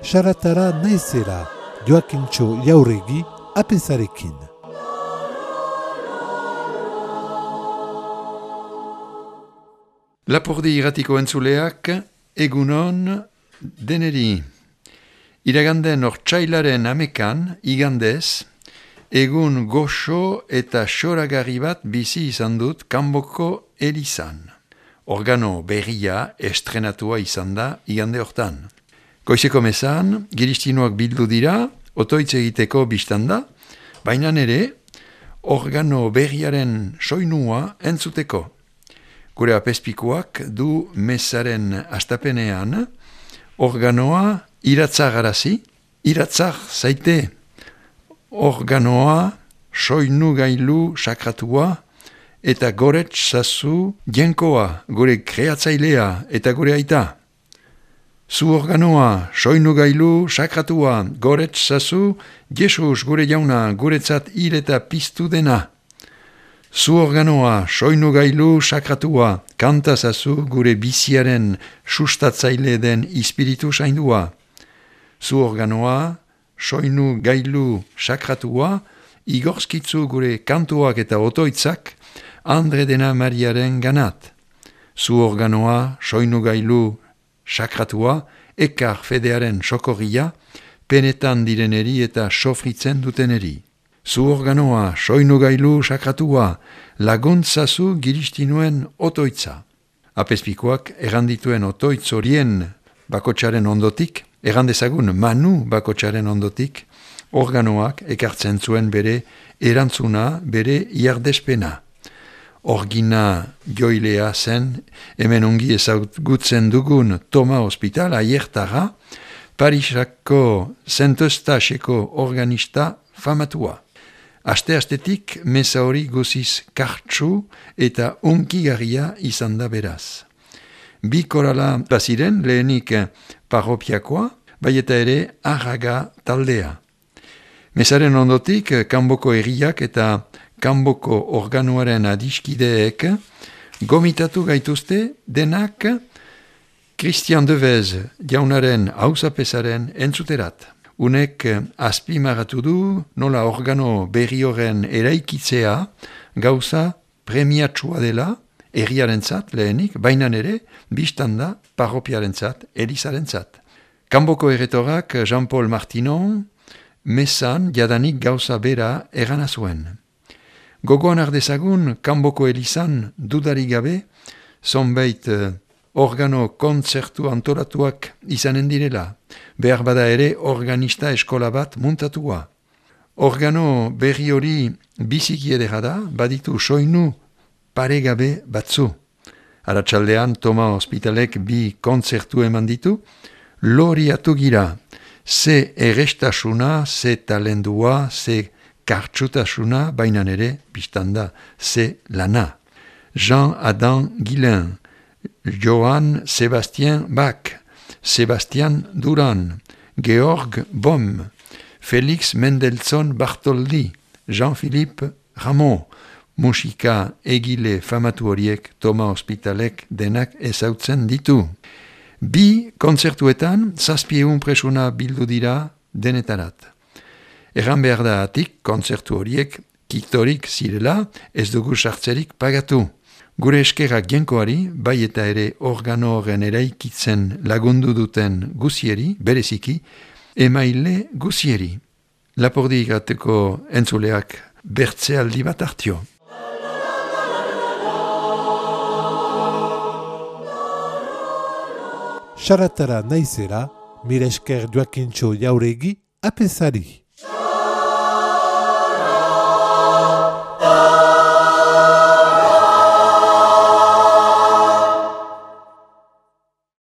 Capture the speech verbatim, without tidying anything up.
Saratara naizera, Joakintxo Jauregi, apezarekin. Lapurdi irratiko entzuleak, egunon deneri. Iraganden ortsailaren amekan, igandez, egun goxo eta xoragarri bat bizi izan dut Kanboko elizan. Organo berria estrenatua izan da igande hortan. Goizeko mezan, giristinoak bildu dira, otoitz egiteko biztanda, baina ere, organo berriaren soinua entzuteko. Gure apezpikuak du mezaren astapenean, organoa iratzagarazi, iratzag zaite, organoa soinu gailu sakratua, eta gorets zazu jenkoa, gure kreatzailea eta gure aita. Zu organoa, soinu gailu, sakratua, gorets zazu, Jesus gure jauna, guretzat hil eta piztu dena. Zu organoa, soinu gailu, sakratua, kanta zazu, gure biziaren sustatzaile den ispiritu zaindua. Zu organoa, soinu gailu, sakratua, igorskitzu gure kantuak eta otoitzak, Andre dena Mariaren ganat. Zu organoa, soinu gailu, sakratua, ekar fedearen sokorria, penetan direneri eta sofritzen duteneri. Zu organoa, soinu gailu, sakratua, laguntzazu giristinuen otoitza. Apezpikoak errandituen otoitz horien bakotsaren ondotik, errandezagun manu bakotsaren ondotik, organoak ekartzen zuen bere erantzuna, bere iardespena. Orgina joilea zen, hemen ongi ezagutzen dugun Toma Hospital, aiertara, Parisako Saint Eustacheko organista famatua. Aste-astetik meza hori guziz kartsu eta unkigarria izan da beraz. Bi korala baziren lehenik parropiakoa, bai eta ere arraga taldea. Mezaren ondotik Kanboko herriak eta Kanboko organoaren adiskideek gomitatu gaituzte denak Christian Devez jaunaren hausapesaren entzuterat. Unek azpimarratu du nola organo berri horren eraikitzea gauza premiatsua dela herriarentzat lehenik, bainan ere biztanda parropiarentzat, elizarentzat. Kanboko erretorak Jean-Paul Martinon mezan jadanik gauza bera erana zuen. Gogoan ardezagun, Kanboko elizan dudarik gabe, zonbait uh, organo kontzertu antolatuak izanen direla, behar bada ere organista eskola bat muntatua. Organo berri hori biziki edera da, baditu soinu paregabe batzu. Arratsaldean Toma Hospitalek bi kontzertu eman ditu, loriatu gira, ze errestasuna, ze talendua, ze kartsutasuna, bainan ere, biztanda, ze lana. Jean-Adam Guillain, Johann Sebastian Bach, Sebastian Duran, Georg Bohm, Felix Mendelssohn Bartholdi, Jean-Philippe Rameau, musika egile famatu horiek Toma Hospitalek denak ezautzen ditu. Bi kontzertuetan zazpieun presuna bildu dira denetarat. Erran behar da atik, kontzertu horiek kiktorik zirela, ez dugu sartzerik pagatu. Gure eskerrak jenkoari, bai eta ere organo horren eraikitzen lagundu duten guzieri, bereziki, emaile guzieri. Lapurdi irateko entzuleak bertzealdi bat hartio. Saratara naizera, mire esker Joakintxo Jauregi, apezari.